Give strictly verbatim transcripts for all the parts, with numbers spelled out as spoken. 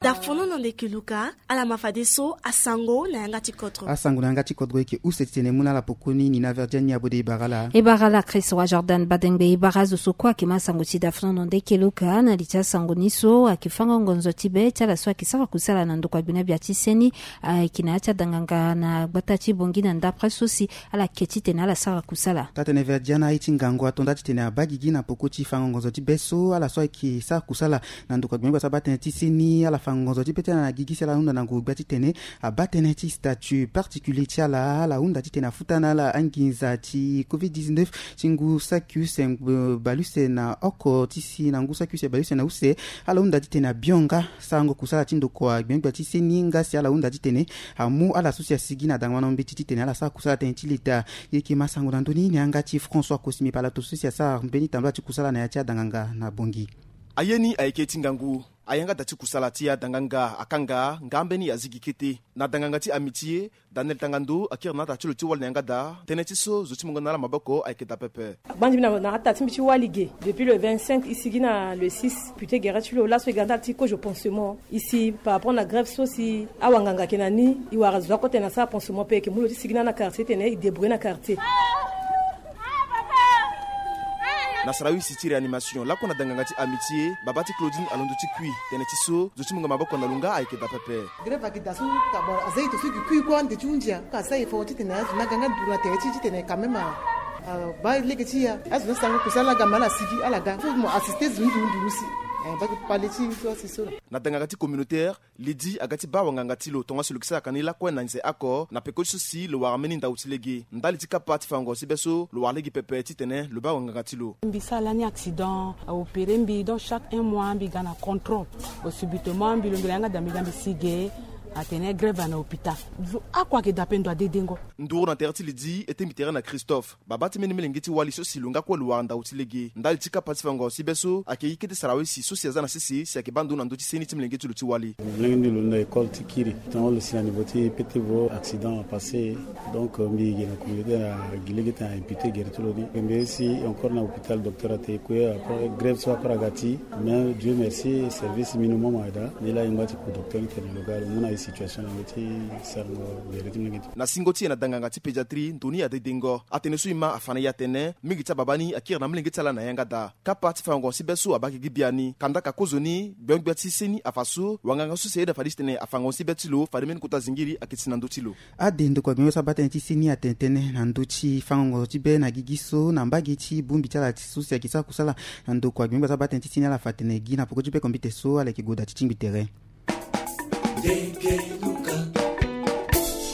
Dafono na ndeke luka. Ala ma fadeso asango na yanga ti kodro. Asango na yanga ti kodro eke use titene mu na ala pokoni ni na verdiani abode e bara ala. E bara ala Chris wa Jordan Badengbe, e bara azo so kue ayeke ma sango ti dafono na ndeke luka na li ti asango ni so ayeke fango ngonzo ti be ti ala so ayeke sara kusala na ndokua gbena gbia ti seni. Ayeke na ya ti adanganga na gbata ti bongi na ndapre so si ala ke titene ala sara kusala. Taa-tene verdiana aye ti ngangu ato nda titene abaa gigi na poko ti fango ngonzo ti be so ala so ayeke sara kusala na ndokua gbena gbia so abaa tënë ti seni. Ala fa ngonzo ti be ti ala na gigi si ala hunda na ngu gbia titene abaa tënë ti statut particulier ti ala. Ala hunda titene afuta na ala anginza ti covid dix-neuf ti ngu saki use baleuse na oko ti si na ngu saki use baleuse na use. Ala hunda titene abionga sarango kusala ti ndokua gbia gbia ti seni nga si ala hunda titene amu ala so si asigi na dangama na mbeti titene ala sara kusala tënë ti leta. Ye yeke ma sango na ndö ni na yanga ti François Kosimi palato so si asara mbeni tambula ti kusala na ya ti adanganga na bongi. Aye ni ayeke ti ngangu. Ayanga da ti kusala ti adanganga akanga nga ambeni azigi kete na danganga ti amitié. Daniel Tangando akiri na ata ti lo ti wali na yanga da. Tënë ti so zo ti mungo na ala maboko ayeke da pepe. Agbanzi mbi na ata ti mbi ti wali ge depuis le vingt-cinq e sigi na le six. Pute gere ti lo laso e ga ndali ti kozo pansement e si par rapport na grève so si awanganga ayeke na ni. E wara zo akota na sara pansement pe e yeke mu lo ti sigi na ala na quartier titene e débrouiller na quartier. Na sara use ti réanimation lakue na danganga ti amitié baba ti Claudine alondo ti kui tënë ti so zo ti mungo maboko na lo nga ayeke da pepe. Grève ayeke da so ka bon aza e to so e yeke kui kue ande ti hunzi ya ka asara e fo titene azo ni aga nga duru na tere ti e titene quand même abaa lege ti e. Azo ni asango kusala aga ma ala sigi ala ga fo mo assiste zo ni duru duru si. Baa kpale ti e so asi so. Na danganga ti communautaire Lydie aga ti baa wanganga ti lo tongaso lo yeke sara ka ni lakue na nze oko na peko ti so si lo wara mbeni ndau ti lege ndali ti kapa ti fango si be so lo wara lege pepe titene lo baa wanganga ti lo. Mbi sara lani accident a opéré mbi donc chaque un mois mbi ga na contrôle. Au subitement mbi longela yanga da mbi ga mbi si ge atene grève na hôpital. Zo oko ayeke da pe ndo adedengo. Nduru na tere ti Lydie e tengbi tere na Christophe. Babâ ti mbeni molenge ti wali so si lo nga kue lo wara ndau ti lege ndali ti kapa ti fango si be so ayeke ye kete sara wisi so si aza na sese si ayeke baa ndo na ndö ti seni ti molenge ti lo ti wali. Molenge ni lo na école ti kiri tonga lo si na niveau ti pete vo accident apassé. Donc mbi gi na communauté na gi lege ti na imputé gere ti lo ni mbi si encore na hôpital docteur ate kue après grève so après aga ti mais Dieu merci service minimum ada ni la yingba ti ku docteur ni tene lo ga lo mu na ye situation na lo ti sarango gere ti molenge ti. Na singo ti e na danganga ti pédiatrie ndo ni adedengo atene so e ma afa na e atene mingi ti ababâ ni akiri na molenge ti ala na yanga daa. Kapa ti fango si be so abaa gigi biani kandaka kozoni gbia gbia ti seni afa so wanganga so si ayeda fade titene afango si be ti lo fade mbeni kota zingiri ayeke si na ndö ti lo. Ade ndokua gbia gbia so abaa tënë ti seni atene tënë na ndö ti fango ngonzo ti be na gigi so na mbage ti bongbi ti ala so si ayeke sara kusala na ndokua gbia gbia so abaa tënë ti seni ala fa tene gi na poko ti be kombite so ala yeke gue daa ti tingbi tere.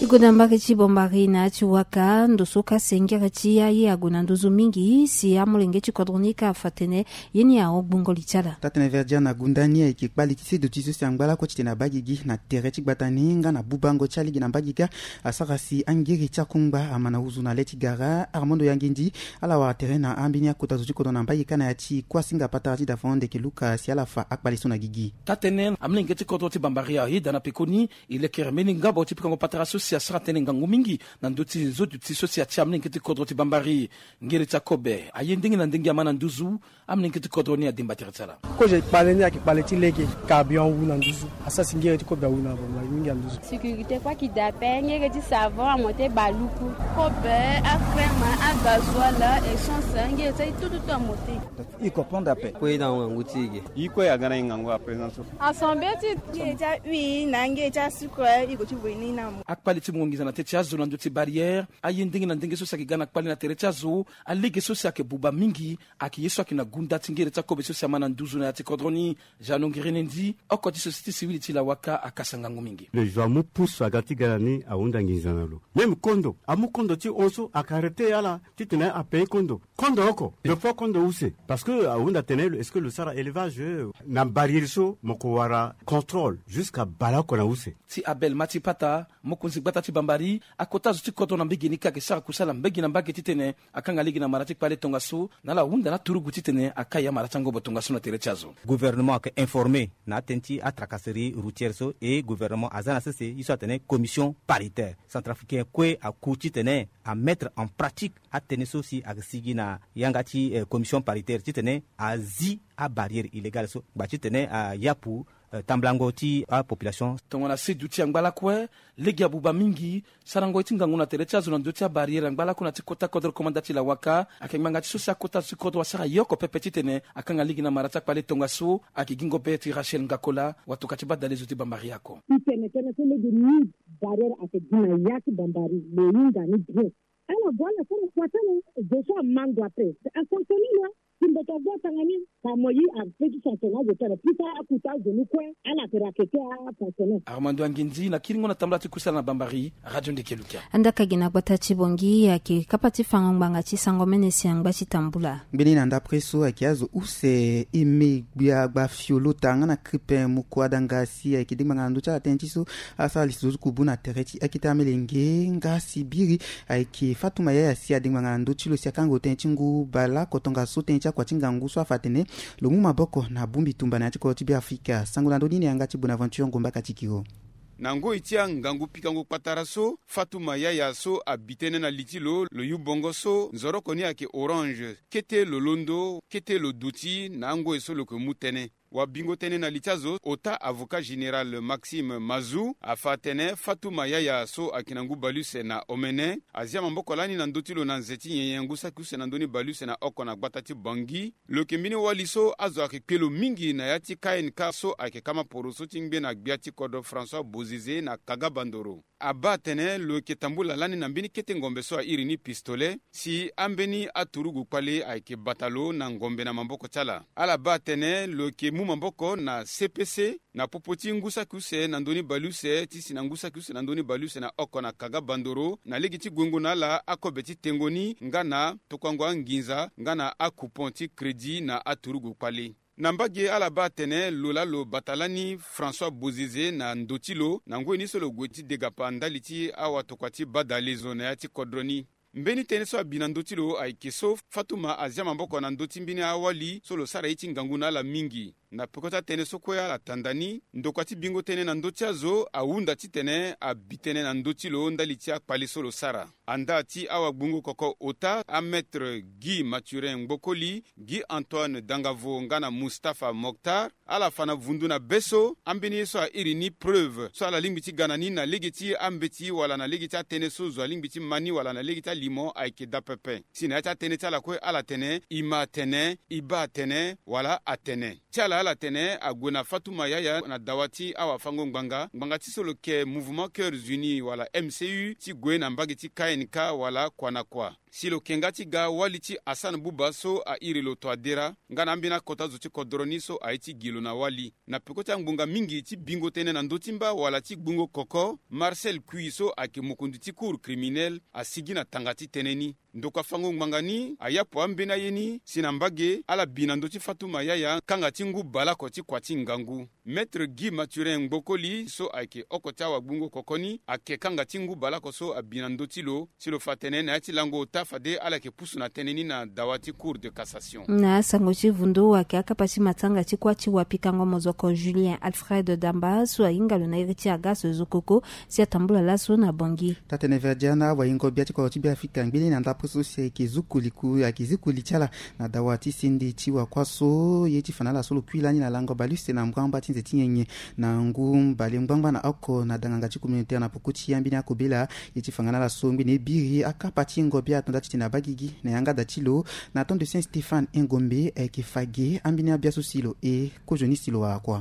E gue na mbage ti bombari na ya ti waka ndo so ka sengere ti aye ague na nduzu mingi si amolenge ti kodro ni ka afa tene ye ni ahon gbungo li ti ala. Taa-tene verdiana gunda ni ayeke kpali ti sedo ti so si angba lakue titene abaa gigi na tere ti gbata ni nga na bubango ti alege na mbage kâ. Asara si angiri ti akungba ama na huzu na le ti gara armando yangendi. Ala wara tere na ambeni akota zo ti kodro na mbage kâ na ya ti kuasinga patara ti dafono ndeke luka si ala fa akpali so na gigi. Taa-tene amolenge ti kodro ti bambari ayeda na pekoni e lekere mbeni ngabo ti pikango patara so si asara tënë ngangu mingi na ndö ti nzo duti so si atia amolenge ti kodro ti bambari. Ngere ti akobe aye ndenge na ndenge ama na nduzu. Amolenge ti kodro ni ademba tere ti ala. Kozo kpale ni ayeke kpale ti lege. Carburant awu na nduzu. Asara si ngere ti kobe awu na bambari mingi na nduzu. Sécurité kue ayeke daa ape ngere ti savon amote baluku. Kobe, acrème, agazoil, essence ngere ti aye tout tout tout amote. E comprendre ape. Kue na ngangu ti e ge. E kue aga na e ngangu à présent so. Assemblée ti ngere ti ahuile na ngere ti asucre e gue ti voye ni na mo. Akpale ti mungo nginza na teti azo na ndö ti barrière. Aye ndenge na ndenge so si ayeke ga na kpale na tere ti azo. Alege so si ayeke buba mingi. Ayeke ye so ayeke na gunda ti ngere ti akobe so si ama na nduzu na ya ti kodro ni. Jeannot Ngirenendi oko ti société civile ti lawaka akasa ngangu mingi. Le jour amu pusu aga ti ga na ni ahunda nginza na lo. Même kondo amu kondo ti hon so ayeke arrêter ala titene apayer kondo. Kondo oko le fois kondo use. Parce que ahunda tene est-ce que lo sara élevage na barrière so mo ko wara contrôle jusqu'à baleoko na use. Ti abel matipata mokonzi gbata ti bambari akota zo ti kodro na mbege ni ka ayeke sara kusala mbege na mbage titene akanga lege na mara ti kpale tongaso na ala hunda na aturugu titene akai amara ti angobo tongaso na tere ti azo. Gouvernement ayeke informé na atënë ti atracasserie routière so e gouvernement aza na sese ye so atene commission paritaire centrafricain kue aku titene amettre en pratique atënë so si ayeke sigi na yanga ti commission paritaire titene azi abarrière illégale so ngba titene ayapu Tambulango ti apopulation. Tongana se duti angba lakue, lege abuba mingi. Sarango ye ti ngangu na tere ti azo na ndö ti abarrière angba lakue na ti kota kodro komanda ti lawaka ayeke ngbanga ti so si akota azo ti kodro asara ye oko pepe titene akanga lege na mara ti akpale tongaso. Ayeke gi ngobe ti Rachel Ngakola, watoka ti badale zo ti Bambari ako. Itene tënë so lege ni barrière ayeke gi na ya ti Bambari, lo hinga ni bien. Ala gue ala sara kua ti ala. Zo so amango ape asansone na ti mbeto ague atanga ni. Ka mo ye ape ti sansone azo ti ala puisque akuta azo ni kue. Ala yeke rakete asansone. Armando Anginzi na kiringo na tambula ti kusala na Bambari, Radio Ndeke Lukia. Andaka gi na gbata ti Bongi ayeke kapa ti fango ngbanga ti sango mene si angba ti tambula. Ngbeni na ndapre so ayeke azo use eme gbia gba fiolota nga na kripe moko adanga si ayeke dengbanga na ndö ti ala tënë ti so asara li so kubu na tere ti akete amelenge nga si biri ayeke Fatuma Yaya si adengbanga na ndö ti lo si akango tënë ti ngu baleoko tongaso tënë ti akua ti ngangu so afa atene lo mu maboko na bongbi tumba na ya ti kodro ti Beafrika. Sango na ndö ni na yanga ti Bonaventure Ngomba Katikiro. Na ngoi ti angangu pikango kpatara so, Fatuma Yaya so abi tënë na li ti lo, lo yu bongo so nzoroko ni ayeke orange, kete lo londo, kete lo duti na angoi so lo yeke mu tënë. Wabingo tënë na li ti azo, ota avocat général Maxime Mazou afa atene Fatuma Yaya so ayeke na ngu baleuse na omene azia maboko lani na ndö ti lo na nze ti nyenye ngu saki use na ndö ni baleuse na oko na gbata ti Bangui. Lo yeke mbeni wali so azo ayeke kpe lo mingi na ya ti K N K so ayeke kama poroso ti ngbe na gbia ti kodro François Bozizé na Kaga Bandoro. Abaa atene lo yeke tambula lani na mbeni kete ngombe so airi ni pistolet si ambeni aturugu kpale ayeke bata lo na ngombe na maboko ti ala. Ala baa atene lo yeke mu maboko na C P C na popo ti ngu saki use na ndö ni baleuse ti si na ngu saki use na ndö ni baleuse na oko na Kaga Bandoro na lege ti guengo na ala akobe ti tengo ni nga na tokuango anginza nga na akupon ti crédit na aturugu kpale. Na mbage ala baa atene lo laa lo bata lani François Bozizé na ndo ti lo na ngoi ni so lo gue ti degapa ndali ti awatokua ti badale zo na ya ti kodro ni. Mbeni tënë so abi na ndö ti lo ayeke so Fatuma azia maboko na ndö ti mbeni awali so lo sara ye ti ngangu na ala mingi. Na peko ti atënë so kue ala tanda ni, ndokua ti bingo tënë na ndö ti azo ahunda titene abi tënë na ndö ti lo ndali ti akpale so lo sara. Andaa ti awagbungo koko ota, amaître Guy Mathurin Ngbokoli, Guy Antoine Dangavo nga na Mustapha Mokhtar, ala fa na vundu na be so ambeni ye so airi ni preuve so ala lingbi ti ga na ni na lege ti ambeti wala na lege ti atënë so zo alingbi ti ma ni wala na lege ti alimo ayeke daa pepe. Si na ya ti atënë ti ala kue ala tene e ma atene, e baa atene wala atene. Ti ala ala tene ague na Fatuma Yaya na dawa ti awafango ngbanga, ngbanga ti so lo yeke Mouvement Cœurs Unis wala M C U ti gue na mbage ti K N K wala kua na kua. Si lo yeke nga ti ga wali ti Hassan Bouba so airi lo Touadéra nga na ambeni akota zo ti kodro ni so aye ti gi lo na wali. Na peko ti angbonga mingi ti bingo tënë na ndö ti mba wala ti gbungo koko, Marcel Kui so ayeke mokonzi ti cour criminel asigi na tanga ti tënë ni. Ndokua fango ngbanga ni ayapo ambeni aye ni si na mbage ala bi na ndö ti Fatuma Yaya kanga ti ngu baleoko ti kua ti ngangu. Maître Guy Mathurin Ngbokoli so ayeke oko ti awagbungo koko ni ayeke kanga ti ngu baleoko so abi na ndö ti lo. Si lo fa tene na ya ti lango ota fade ala yeke pusu na tënë ni na dawa ti Cour de cassation. Na asango ti vundu ayeke akapa ti matanga ti kuâ ti wapikango mozoko Julien Alfred Damba so ahinga lo na iri ti aga so zokoko si atambula laso na Bangui. Taa-tënë Verdiana, wahingo bia ti kodro ti Beafrika ngbene na ndapre so si ayeke zuku liku ayeke zuku li ti ala na dawa ti sende ti wakuâ so ye ti fa na ala so lo kui lani na lango baleuse na mbramba ti nze ti nyenye na ngu mbale ngbangba na oko na danganga ti communautaire na poko ti ambeni akobela. Ye ti fa nga na ala so ngbene biri akapa ti hingo bia ato nda titene abaa gigi na yanga da ti lo na temps de Saint Stéphane Engombe ayeke fa ge ambeni abia so si lo e kozoni si lo wara kua.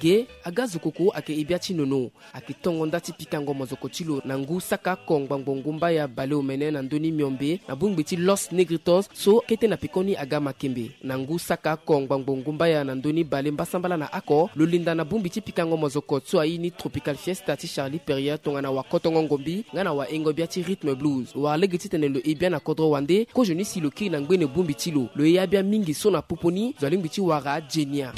Ge aga zokoko ayeke e bia ti nono. Ayeke tongo nda ti pikango mozoko ti lo na ngu saka oko ngbangbo ngu mbaya baleomene na ndö ni miombe na bongbi ti Los Negritos so kete na pekoni aga makembe. Na ngu saka oko ngbangbo ngu mbaya na ndö ni bale mbasambala na oko lo linda na bongbi ti pikango mozoko so aye ni Tropical Fiesta ti Charlie Perrier tongana wakotongo ngombi nga na wahingo bia ti rythme blues. Lo wara lege titene lo e bia na kodro wande kozoni si lo kiri na ngbene bongbi ti lo. Lo e abia mingi so na popo ni zo alingbi ti wara genia.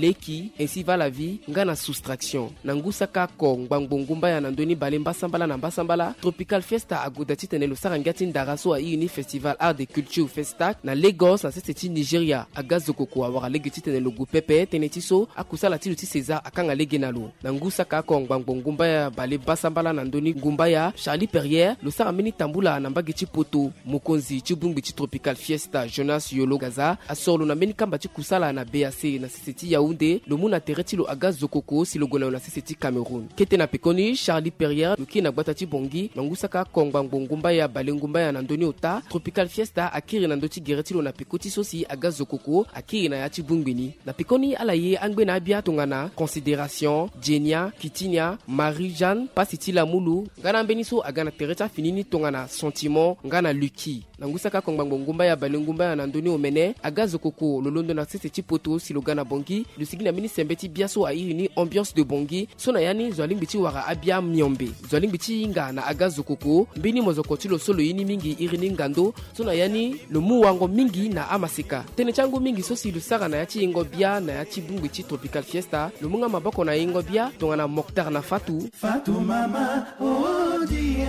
leki, ainsi va la vie, nga na soustraction. Na ngu saka oko ngbangbo ngumbaya na ndoni bale mbasambala na mbasambala, Tropical Fiesta agoda titene lo sara ngia ti ndara so airi ni Festival Art et Culture Festac na Lagos na sese ti Nigeria. Aga Zokoko awara lege titene lo gue pepe tënë ti so akusala ti lo ti César akanga lege na lo. Na ngu saka oko ngbangbo ngumbaya bale mbasambala na ndoni ngumbaya Charlie Perrier lo sara mbeni tambula na mbage ti poto. Mokonzi ti bongbi ti Tropical Fiesta Jonas Yolo Gaza asoro lo na mbeni kamba ti kusala na B A C na sese ti Yaoundé. Lo mu na tere ti lo Aga Zokoko si lo gue na lo na sese ti Cameroun. Kete na pekoni Charlie Perrier lo kiri na gbata ti Bangui na ngu saka oko ngbangbo ngumbaya bale ngumbaya na ndoni ota. Tropical Fiesta akiri na ndö ti gere ti lo na peko ti so si Aga Zokoko akiri na ya ti bongbi ni. Na pekoni ala ye angbe na abia tongana Considération, Djenia, Kitinia, Marie Jeanne, Pasi ti Lamulu, nga na ambeni so aga na tere ti afini ni tongana Sentiment nga na Lucky. Na ngu saka oko ngbangbo ngumbaya bale ngumbaya na ndoni omene, Aga Zokoko lo londo na sese ti poto si lo ga na Bangui. Lo sigi na mbeni sembe ti bia so airi ni Ambiance de Bangui. So na ya ni zo alingbi ti wara abia miombe. Zo alingbi ti hinga na Aga Zokoko. Mbeni mozoko ti lo so lo ye ni mingi iri ni Ngando. So na ya ni lo mu wango mingi na amaseka. Tënë ti angu mingi so si lo sara na ya ti yengo bia na ya ti bongbi ti Tropical Fiesta, lo mu nga maboko na yengo bia tongana Moctar na Fatou. Fatou mama, oh, die,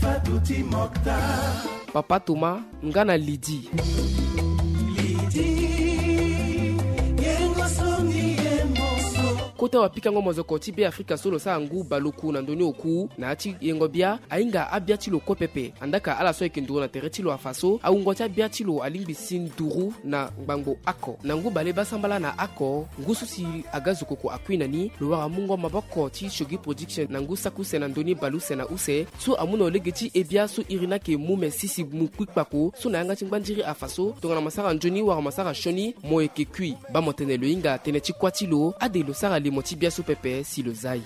Fatou ti Moctar. Papa Thomas nga na Lydie. Lydie, yengo songi ye moso. Kota wapikango mozoko ti Beafrika so lo sara ngu baleoku na ndoni oku na ya ti yengo bia, ahinga abia ti lo kue pepe. Andaka ala so ayeke nduru na tere ti lo afa so, awungo ti abia ti lo alingbi si nduru na ngbangbo oko. Na ngu bale basambala na oko, ngu so si Aga Zokoko akui na ni, lo wara mungo maboko ti Shogi Production na ngu saki use na ndoni baleuse na use, so amu na lo lege ti he bia so iri ni ayeke mu me sisi mu kui kpako, so na yanga ti ngbandiri afa so, tongana masara nzoni wala masara sioni, mo yeke kui. Baa mo tene lo hinga tënë ti kuâ ti lo, ade lo sara limo ti bia so pepe si lo za e.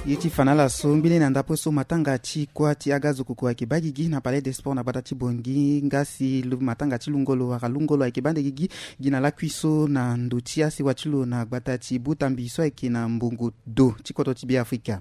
Ye ti fa na ala so mbeni na ndapo so matanga ti kuâ ti Aga Zokoko ayeke baa gigi na Palais des Sports na gbata ti Bangui, nga si lo matanga ti lungo lo wala lungo lo ayeke baa nde gigi, gi na lakui so na ndo ti asewa ti lo na gbata ti Butambi so ayeke na mbongo do ti kodro ti Beafrika.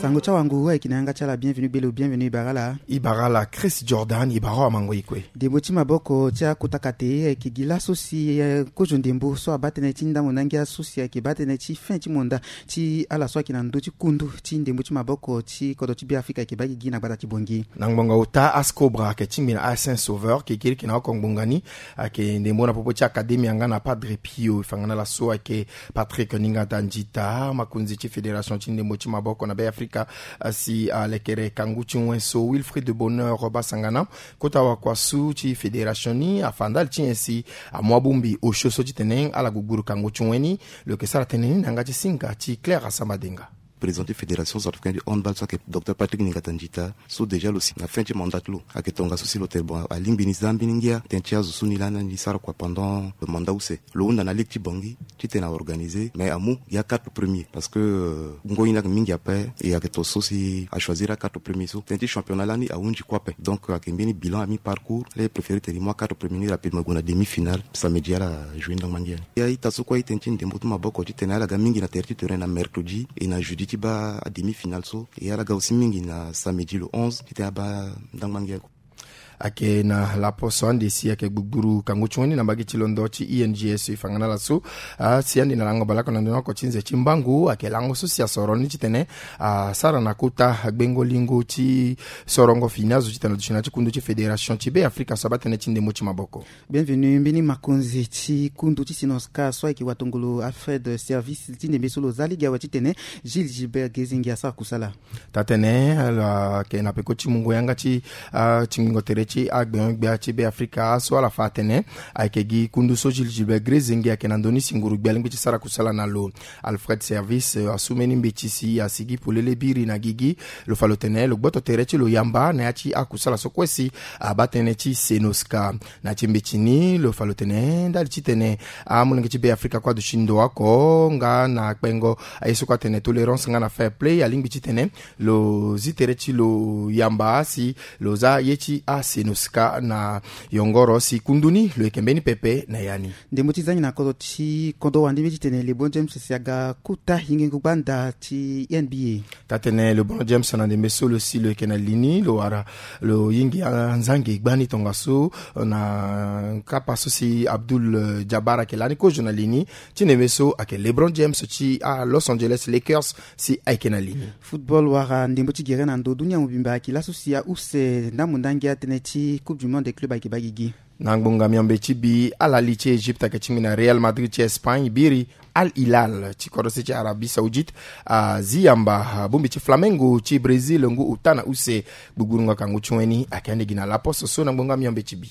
Sango ti awango ayeke na yanga ti ala, bienvenu gbelo, bienvenu e bara ala. E bara ala Chris Jordan, e bara amango e kue. Ndembo ti maboko ti akota kate ayeke gi laso si, eh, kozo ndembo so abaa tënë ti ndambo na ngia so si ayeke baa tënë ti fin ti monda ti ala so ayeke na ndö ti kundu ti ndembo ti maboko ti kodro ti Beafrika ayeke baa gigi na gbata ti Bangui. Na ngbonga ota, ASCOBRA ayeke tingbi na A S N Sauveur, kekiriki na oko ngbonga ni, ayeke ndembo na popo ti Academia nga na Padre Pio. E fa nga na ala so ayeke Patrick Ningata Njita, makonzi ti fédération ti ndembo ti maboko na Beafrika, asi alekere kangu ti wen so Wilfried Bonheur Basangana, kota wakua su ti fédération ni, afa ndali ti nyen si amu abongbi osio so titene ala gugburu kangu ti wen ni. Lo yeke sara tënë ni na yanga ti singa ti Claire Asamba Denga. Président ti fédération centrafricaine du handball so ayeke Docteur Patrick Ningata Njita, so déjà lo si na fin ti mandat ti lo, ayeke tongaso si lo tene bon, alingbi ni za mbeni ngia tënë ti azo so ni lani ni sara kua pendant mandat use. Lo hunda na ligue ti Bangui titene a organiser, mais amu ya quatre premiers, parce que, euh, ngoi ni ayeke mingi ape, e ayeke to so si a choisir a quatre premiers so. Tënë ti championnat lani ahunzi kue ape. Donc ayeke mbeni bilan à mi-parcours, ala préféré tene e mu a quatre premiers ni rapidement e gue na demi-finale samedi, ala jouer ndangba ngia ni. Ya ita so kue aye tënë ti ndembo ti maboko titene ala ga mingi na tere ti terrain na mercredi et na jeudi ti baa a demi-finale so, et ala ga aussi mingi na samedi le onze titene abaa ndangba ngia ni. Ayeke na laposo ande si ayeke gbugburu kangu ti wen ni na mbage ti londo ti I N G S, e fa nga na ala so, ah, si ande na lango baleoko na ndoni oko ti nze ti mbangu, ayeke lango so si asoro ni titene asara na kota gbengo lingo ti sorongo fini azo titene aduti na ya ti kundu ti fédération ti Beafrika so abaa tënë ti ndembo ti maboko. Bienvenu, mbeni makonzi ti kundu ti Sinosca so ayeke watongolo Alfred Service, ti ndembe so lo za lege awe titene Gilles Gilbert Gezingi asara kusala. Taa-tënë, ala yeke na peko ti mungo yanga ti, ah, tingbingo tere ti agbengo-gbia ti Beafrika so ala fa atene ayeke gi kundu so Gilles Gilbert Gezingi ayeke na ndö ni si nguru-gbia alingbi ti sara kusala na lo. Alfred Service, eh, asu mbeni mbeti si asigi polele biri na gigi. Lo fa lo tene lo gboto tere ti lo yamba na ya ti akusala so kue si abaa tënë ti Sinosca. Na ya ti mbeti ni lo fa lo tene ndali titene amolenge ti Beafrika kue aduti ndo oko nga na kpengo aye so kue atene tolérance nga na fair play, alingbi titene lo zi tere ti lo yamba si lo za ye ti asi Enoska na yongoro si kundu ni lo yeke mbeni pepe na ya ni. Ndembo ti zangi na kodro ti kodro wande mbeti tene LeBron James si aga kuta yingengu gbanda ti N B A. Tatene LeBron James na ndembe so lo si lo yeke na lini lo wara lo yingi anzangi gbani tongaso na kapa so si Abdul Jabbar ayeke lani kozo na lini ti ndembe so ayeke LeBron James ti a Los Angeles Lakers si ayeke na lini. Football wara ndembo ti gere na ndo dunia mobimba ayeke laso si ause ndambo ndangia tënë ti Coupe du Monde club ayeke baa gigi. Na ngbonga miombe ti bi ala li ti Egypte ayeke tingbi na Real Madrid ti Espagne biri Al Hilal ti kodro se ti Arabie Saoudite azi yamba bongbi ti Flamengo ti Brésil ngu ota na use. Gbugburu nga kangu ti wen ni ayeke ande gi na laposo so na ngbonga miombe ti bi.